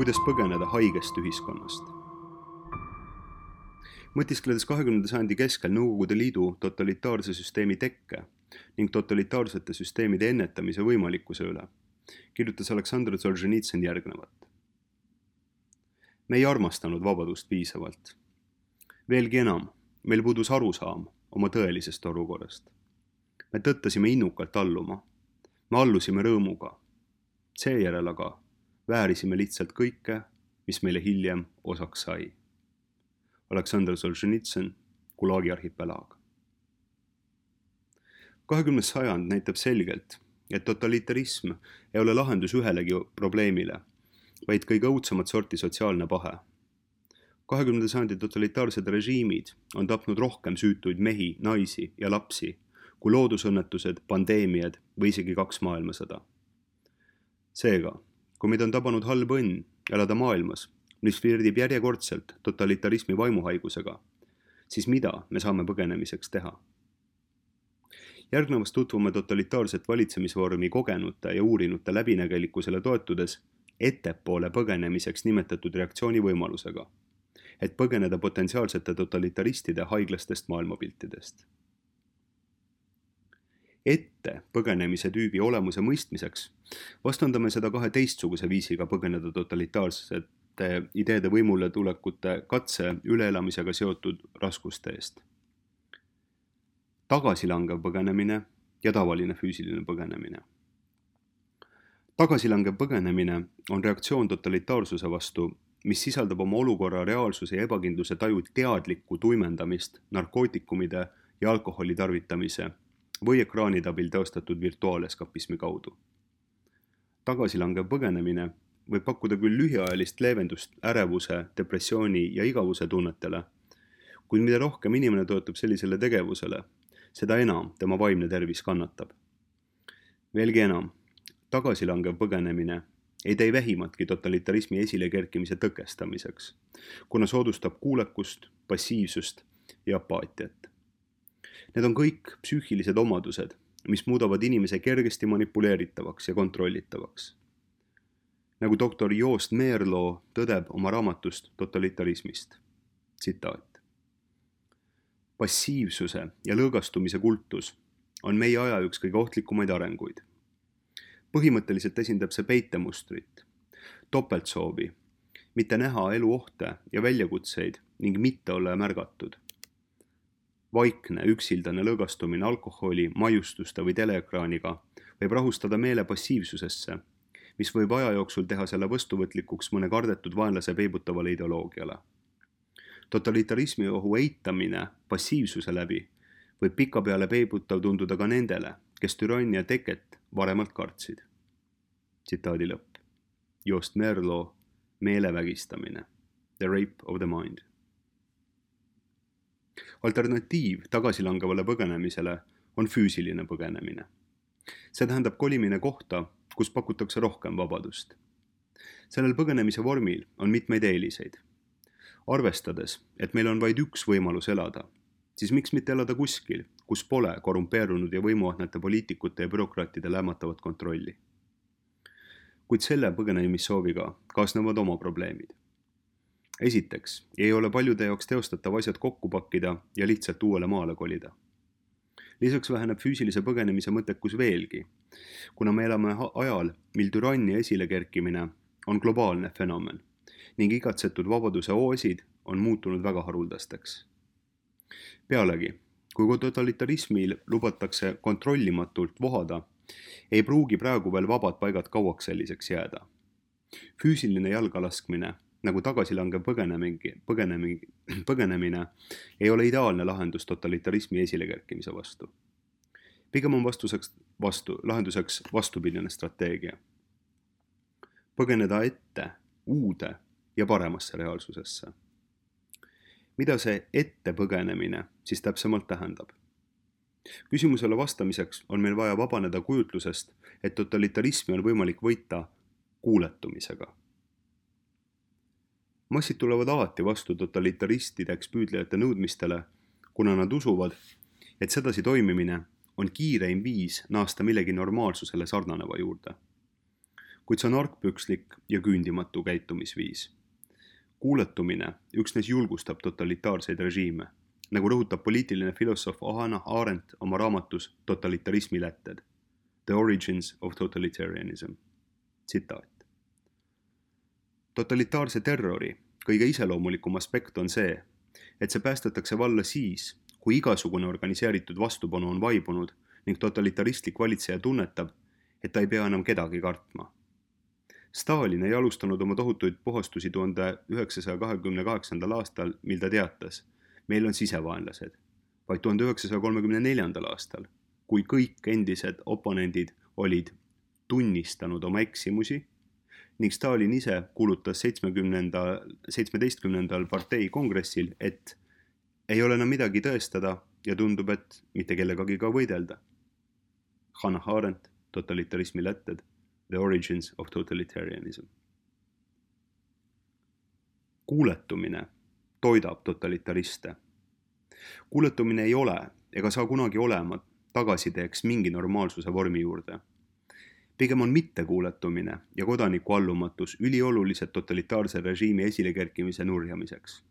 kuidas põgeneda haigest ühiskonnast. Mõtiskledes 20. sajandi keskel Nõukogude Liidu totalitaarse süsteemi tekke ning totalitaarsete süsteemide ennetamise võimalikkuse üle, kirjutas Aleksandr Solženitsõn järgnevat. Me ei armastanud vabadust piisavalt. Veelgi enam, meil puudus arusaam oma tõelisest olukorrast. Me tõttasime innukalt alluma. Me allusime rõõmuga. Seejärel aga väärisime lihtsalt kõike, mis meile hiljem osaks sai. Aleksandr Solženitsõn, Gulagi arhipelaag. 20. sajand näitab selgelt, et totalitarism ei ole lahendus ühelegi probleemile, vaid kõige õudsemat sorti sotsiaalne pahe. 20. sajandi totalitaarsed režiimid on tapnud rohkem süütuid mehi, naisi ja lapsi kui loodusõnnetused, pandeemiad või isegi 2 maailmasõda. Seega, kui meid on tabanud halb õnn elada maailmas, mis flirdib järjekordselt totalitarismi vaimuhaigusega, siis mida me saame põgenemiseks teha? Järgnevast tutvume totalitaarset valitsemisvormi kogenute ja uurinute läbinägelikkusele toetudes ettepoole põgenemiseks nimetatud reaktsiooni võimalusega, et põgeneda potentsiaalsete totalitaristide haiglastest maailmapiltidest. Ette põgenemise tüübi olemuse mõistmiseks vastandame seda 2 teistsuguse viisiga põgeneda totalitaarsete ideede võimule tulekute katse üleelamisega seotud raskuste eest. Tagasilangev põgenemine ja tavaline füüsiline põgenemine. Tagasilangev põgenemine on reaktsioon totalitaarsuse vastu, mis sisaldab oma olukorra reaalsuse ja ebakindluse taju teadlikku tuimendamist narkootikumide ja alkoholi tarvitamise või ekraanide abil teostatud virtuaaleskapismi kaudu. Tagasilangev põgenemine võib pakkuda küll lühiajalist leevendust ärevuse, depressiooni ja igavuse tunnetele, kuid mida rohkem inimene toetub sellisele tegevusele, seda enam tema vaimne tervis kannatab. Veelgi enam, tagasilangev põgenemine ei tee vähimatki totalitarismi esilekerkimise tõkestamiseks, kuna soodustab kuulekust, passiivsust ja apaatiat. Need on kõik psüühilised omadused, mis muudavad inimese kergesti manipuleeritavaks ja kontrollitavaks. Nagu doktor Joost Meerloo tõdeb oma raamatust totalitarismist. Tsitaat. Passiivsuse ja lõõgastumise kultus on meie aja üks kõige ohtlikumaid arenguid. Põhimõtteliselt esindab see peitemustrit, topeltsoovi, mitte näha elu ohte ja väljakutseid ning mitte olla märgatud. Vaikne, üksildane lõõgastumine alkoholi, maiustuste või teleekraaniga võib rahustada meele passiivsusesse, mis võib aja jooksul teha selle vastuvõtlikuks mõne kardetud vaenlase peibutavale ideoloogiale. Totalitarismi ohu eitamine passiivsuse läbi võib pikapeale peibutav tunduda ka nendele, kes türannia teket varemalt kartsid. Tsitaadi lõpp. Joost Meerloo, meelevägistamine. The rape of the mind. Alternatiiv tagasilangevale põgenemisele on füüsiline põgenemine. See tähendab kolimine kohta, kus pakutakse rohkem vabadust. Sellel põgenemise vormil on mitmeid eeliseid. Arvestades, et meil on vaid üks võimalus elada, siis miks mitte elada kuskil, kus pole korrumpeerunud ja võimuahnete poliitikute ja bürokraatide lämmatavat kontrolli. Kuid selle põgenemissooviga kaasnevad oma probleemid. Esiteks, ei ole paljude jaoks teostatav asjad kokku pakkida ja lihtsalt uuele maale kolida. Lisaks väheneb füüsilise põgenemise mõttekus veelgi, kuna me elame ajal, mil türannia esilekerkimine on globaalne fenomen ning igatsetud vabaduse oosid on muutunud väga haruldasteks. Pealegi, kui totalitarismil lubatakse kontrollimatult vohada, ei pruugi praegu veel vabad paigad kauaks selliseks jääda. Füüsiline jalgalaskmine nagu tagasilangev põgenemine ei ole ideaalne lahendus totalitarismi esilekerkimise vastu. Pigem on lahenduseks vastupidine strateegia. Põgeneda ette, uude ja paremasse reaalsusesse. Mida see ette põgenemine siis täpsemalt tähendab? Küsimusele vastamiseks on meil vaja vabaneda kujutlusest, et totalitarismi on võimalik võita kuuletumisega. Massid tulevad alati vastu totalitaristideks püüdlejate nõudmistele, kuna nad usuvad, et sedasi toimimine on kiireim viis naasta millegi normaalsusele sarnaneva juurde. kuid see on argpükslik ja küündimatu käitumisviis. Kuuletumine üksnes julgustab totalitaarseid režiime, nagu rõhutab poliitiline filosoof Hannah Arendt oma raamatus Totalitarismi lätted, The Origins of Totalitarianism. Tsitaat. Totalitaarse terrori kõige iseloomulikum aspekt on see, et see päästetakse valla siis, kui igasugune organiseeritud vastupanu on vaibunud ning totalitaristlik valitseja tunnetab, et ta ei pea enam kedagi kartma. Stalin ei alustanud oma tohutuid puhastusi 1928. aastal, mil ta teatas, meil on sisevaenlased, vaid 1934. aastal, kui kõik endised oponendid olid tunnistanud oma eksimusi ning Stalin ise kuulutas 17. partei kongressil, et ei ole enam midagi tõestada ja tundub, et mitte kellegagi ka võidelda. Hannah Arendt, Totalitarismi lätted, The Origins of Totalitarianism. Kuuletumine toidab totalitariste. Kuuletumine ei ole ega saa kunagi olema tagasiteeks mingi normaalsuse vormi juurde. Pigem on mittekuuletumine ja kodaniku allumatus üliolulised totalitaarse režiimi esilekerkimise nurjamiseks.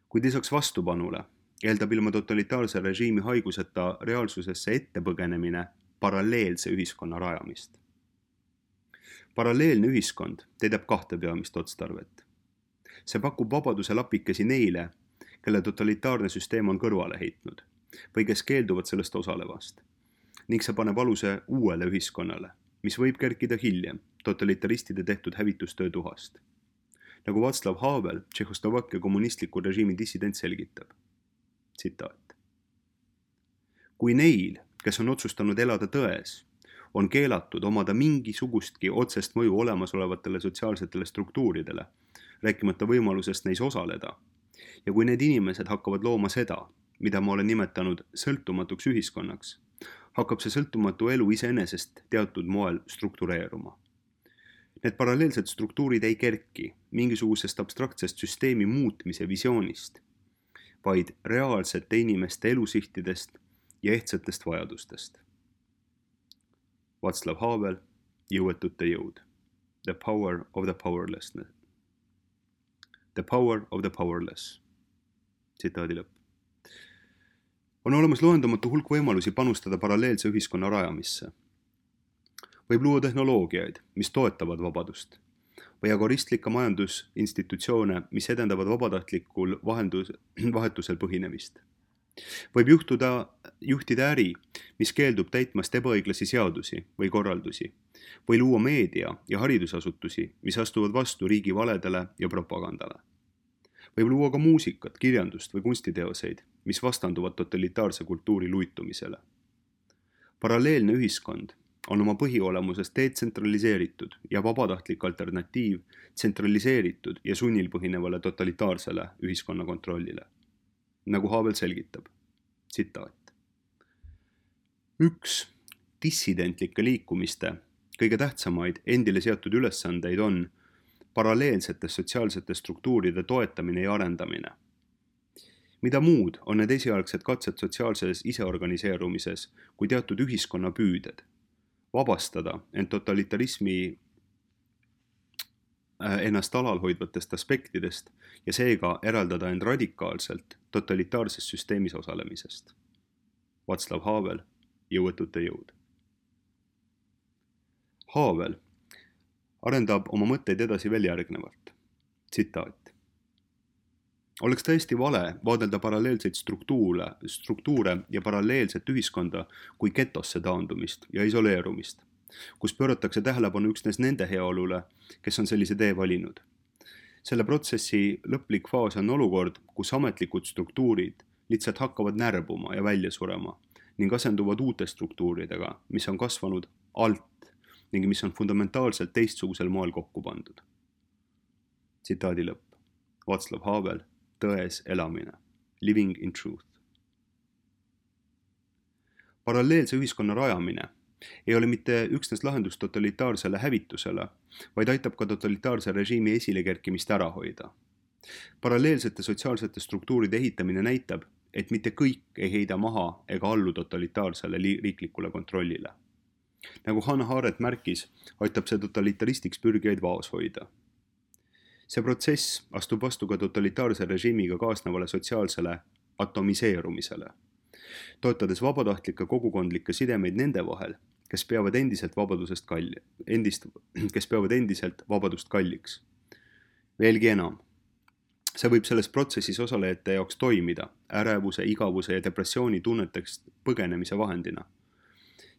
Kuid lisaks vastupanule eeldab ilma totalitaarse režiimi haiguseta reaalsusesse ettepõgenemine paralleelse ühiskonna rajamist. Paralleelne ühiskond täidab kahte peamist otstarvet. See pakub vabaduse lapikesi neile, kelle totalitaarne süsteem on kõrvale heitnud või kes keelduvad sellest osalevast, ning see paneb aluse uuele ühiskonnale, mis võib kerkida hiljem totalitaristide tehtud hävitustöö tuhast. Nagu Václav Havel, Tšehhoslovakkia kommunistliku režiimi dissident selgitab. Tsitaat. Kui neil, kes on otsustanud elada tões, on keelatud omada mingisugustki otsest mõju olemasolevatele sotsiaalsetele struktuuridele, rääkimata võimalusest neis osaleda, ja kui need inimesed hakkavad looma seda, mida ma olen nimetanud sõltumatuks ühiskonnaks, hakkab see sõltumatu elu iseenesest teatud moel struktureeruma. Need paralleelsed struktuurid ei kerki mingisugusest abstraktsest süsteemi muutmise visioonist, vaid reaalsete inimeste elusihtidest ja ehtsatest vajadustest. Václav Havel, Jõuetute jõud. The power of the powerlessness. The power of the powerless. Tsitaadi lõpp. On olemas loendamatu hulk võimalusi panustada paralleelse ühiskonna rajamisse. Võib luua tehnoloogiaid, mis toetavad vabadust, või agoristlikke majandusinstitutsioone, mis edendavad vabatahtlikul vahetusel põhinemist. Võib juhtida äri, mis keeldub täitmast ebaõiglasi seadusi või korraldusi, või luua meedia ja haridusasutusi, mis astuvad vastu riigi valedele ja propagandale. Võib luua ka muusikat, kirjandust või kunstiteoseid, mis vastanduvad totalitaarse kultuuri luitumisele. Paralleelne ühiskond on oma põhiolemusest detsentraliseeritud ja vabatahtlik alternatiiv tsentraliseeritud ja sunnil põhinevale totalitaarsele ühiskonna kontrollile. Nagu Havel selgitab. Tsitaat. Üks dissidentlike liikumiste kõige tähtsamaid endile seatud ülesandeid on paralleelsete sotsiaalsete struktuuride toetamine ja arendamine. Mida muud on need esialgsed katsed sotsiaalses iseorganiseerumises kui teatud ühiskonna püüded, vabastada end totalitarismi ennast alalhoidvatest aspektidest ja seega eraldada end radikaalselt totalitaarses süsteemis osalemisest. Václav Havel, Jõuetute jõud. Havel arendab oma mõtteid edasi veel järgnevalt. Tsitaat. Oleks täiesti vale vaadelda paralleelseid struktuure ja paralleelset ühiskonda kui getosse taandumist ja isoleerumist, kus pööratakse tähelepanu üksnes nende heaolule, kes on sellise tee valinud. Selle protsessi lõplik faas on olukord, kus ametlikud struktuurid lihtsalt hakkavad närbuma ja välja surema ning asenduvad uute struktuuridega, mis on kasvanud alt ning mis on fundamentaalselt teistsugusel moel kokku pandud. Tsitaadi lõpp. Václav Havel, Tões elamine. Living in truth. Paralleelse ühiskonna rajamine ei ole mitte üksnes lahendus totalitaarsele hävitusele, vaid aitab ka totalitaarse režiimi esilekerkimist ära hoida. Paralleelsete sotsiaalsete struktuuride ehitamine näitab, et mitte kõik ei heida maha ega allu totalitaarsele riiklikule kontrollile. nagu Hannah Arendt märkis, aitab see totalitaristiks pürgijaid vaos hoida. See protsess astub vastu ka totalitaarse režiimiga kaasnevale sotsiaalsele atomiseerumisele, toetades vabatahtlikke kogukondlikke sidemeid nende vahel, kes peavad endiselt vabadust kalliks. Veelgi enam, see võib selles protsessis osalejate jaoks toimida ärevuse, igavuse ja depressiooni tunnetest põgenemise vahendina.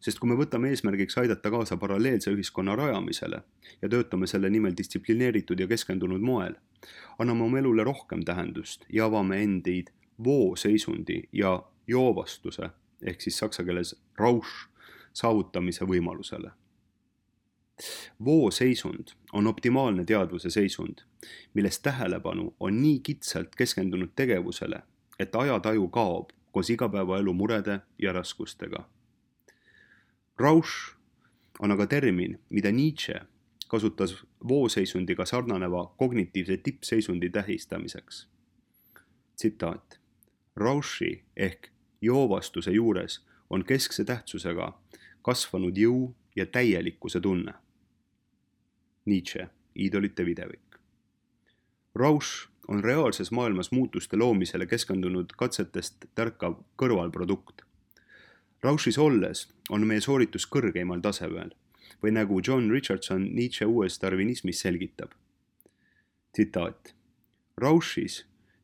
Sest kui me võtame eesmärgiks aidata kaasa paralleelse ühiskonna rajamisele ja töötame selle nimel distsiplineeritud ja keskendunud moel, anname oma elule rohkem tähendust ja avame endid vooseisundi ja joovastuse ehk siis saksa keeles Rausch saavutamise võimalusele. Vooseisund on optimaalne teadvuse seisund, milles tähelepanu on nii kitsalt keskendunud tegevusele, et ajataju kaob koos igapäevaelu murede ja raskustega. Rausch on aga termin, mida Nietzsche kasutas vooseisundiga sarnaneva kognitiivse tippseisundi tähistamiseks. Tsitaat. Rauschi ehk joovastuse juures on keskse tähtsusega kasvanud jõu ja täielikkuse tunne. Nietzsche, iidolite videvik. Rausch on reaalses maailmas muutuste loomisele keskendunud katsetest tärkav kõrvalprodukt. Rauschis olles on meie sooritus kõrgeimal tasemel või nagu John Richardson Nietzsche uues darwinismis selgitab. Tsitaat. Rauschis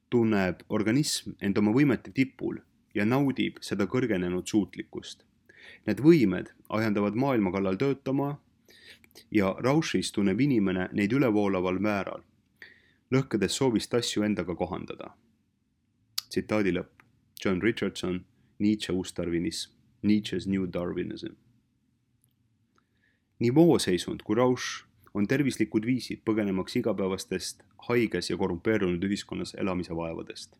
tunneb organism end oma võimete tipul ja naudib seda kõrgenenud suutlikkust. Need võimed ajendavad maailma kallal töötama ja Rauschis tunneb inimene neid ülevoolaval määral, lõhkedes soovist asju endaga kohandada. Tsitaadi lõpp. John Richardson, Nietzsche uus darwinism, Nietzsche's New Darwinism. Nii vooseisund kui Rausch on tervislikud viisid põgenemaks igapäevastest haiges ja korrumpeerunud ühiskonnas elamise vaevadest.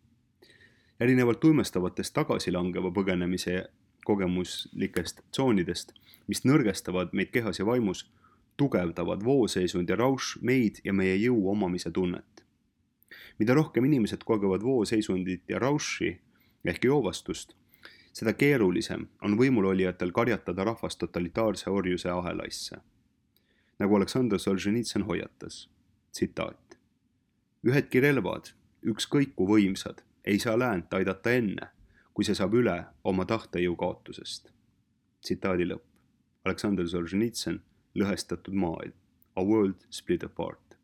Erinevalt tuimestavatest tagasilangeva põgenemise kogemuslikest tsoonidest, mis nõrgestavad meid kehas ja vaimus, tugevdavad vooseisund ja Rausch meid ja meie jõu omamise tunnet. Mida rohkem inimesed kogevad vooseisundit ja Rauschi ehk joovastust, seda keerulisem on võimulolijatel karjatada rahvast totalitaarse orjuse ahelaisse. Nagu Aleksandr Solženitsõn hoiatas, tsitaat. Ühedki relvad, ükskõik kui võimsad, ei saa läänt aidata enne, kui see saab üle oma tahtejõu kaotusest. Tsitaadi lõpp. Aleksandr Solženitsõn, Lõhestatud maailm. A world split apart.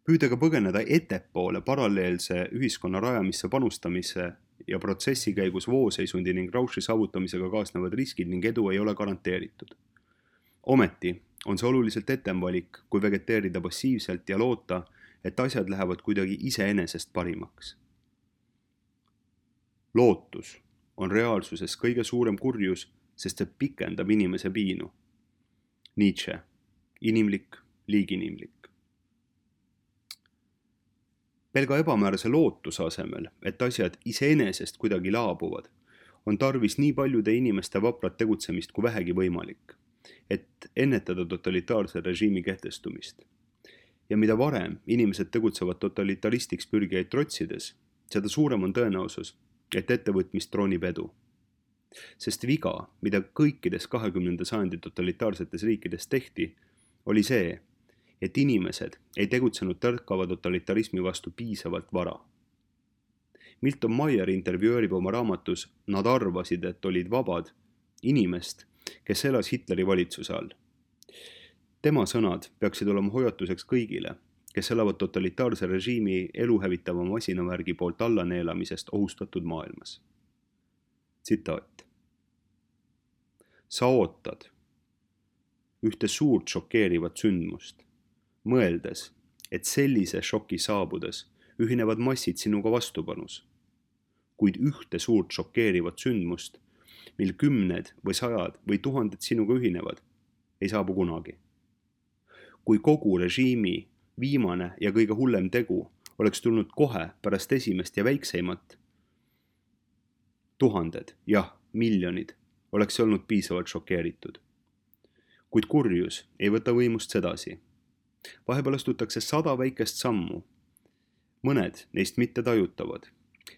Püüdega põgeneda ettepoole paralleelse ühiskonna rajamisse panustamise ja protsessi käigus vooseisundi ning Rauschi saavutamisega kaasnevad riskid ning edu ei ole garanteeritud. Ometi on see oluliselt etem valik, kui vegeteerida passiivselt ja loota, et asjad lähevad kuidagi iseenesest parimaks. Lootus on reaalsuses kõige suurem kurjus, sest see pikendab inimese piinu. Nietzsche, inimlik, liiginimlik. Pelga ebamäärase lootuse asemel, et asjad iseenesest kuidagi laabuvad, on tarvis nii paljude inimeste vaprat tegutsemist kui vähegi võimalik, et ennetada totalitaarse režiimi kehtestumist. Ja mida varem inimesed tegutsevad totalitaristiks pürgijaid trotsides, seda suurem on tõenäosus, et ettevõtmist troonib edu. Sest viga, mida kõikides 20. sajandi totalitaarsetes riikides tehti, oli see, et inimesed ei tegutsenud tärkava totalitarismi vastu piisavalt vara. Milton Meyer intervjueerib oma raamatus Nad arvasid, et olid vabad inimest, kes elas Hitleri valitsuse all. Tema sõnad peaksid olema hoiatuseks kõigile, kes elavad totalitaarse režiimi eluhävitava masinavärgi poolt allaneelamisest ohustatud maailmas. Tsitaat. Sa ootad ühte suurt šokeerivat sündmust, mõeldes, et sellise šoki saabudes ühinevad massid sinuga vastupanus, kuid ühte suurt šokeerivat sündmust, mil 10 või 100 või 1000 sinuga ühinevad, ei saabu kunagi. Kui kogu režiimi viimane ja kõige hullem tegu oleks tulnud kohe pärast esimest ja väikseimat, 1000, jah, miljonid, oleks olnud piisavalt šokeeritud. Kuid kurjus ei võta võimust sedasi. Vahepeal astutakse 100 väikest sammu. Mõned neist mitte tajutavad,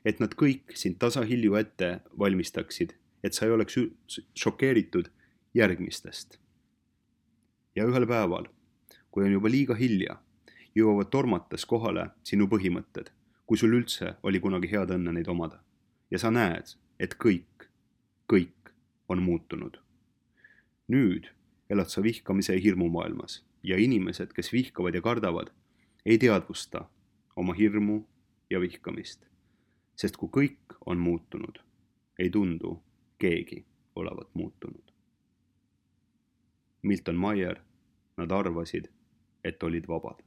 et nad kõik sind tasahilju ette valmistaksid, et sa ei oleks šokeeritud järgmistest. Ja ühel päeval, kui on juba liiga hilja, jõuavad tormates kohale sinu põhimõtted, kui sul üldse oli kunagi head õnne neid omada. Ja sa näed, et kõik on muutunud. Nüüd elad sa vihkamise ja hirmu maailmas ja inimesed, kes vihkavad ja kardavad, ei teadvusta oma hirmu ja vihkamist. Sest kui kõik on muutunud, ei tundu keegi olevat muutunud. Milton Maier, nad arvasid, et olid vabad.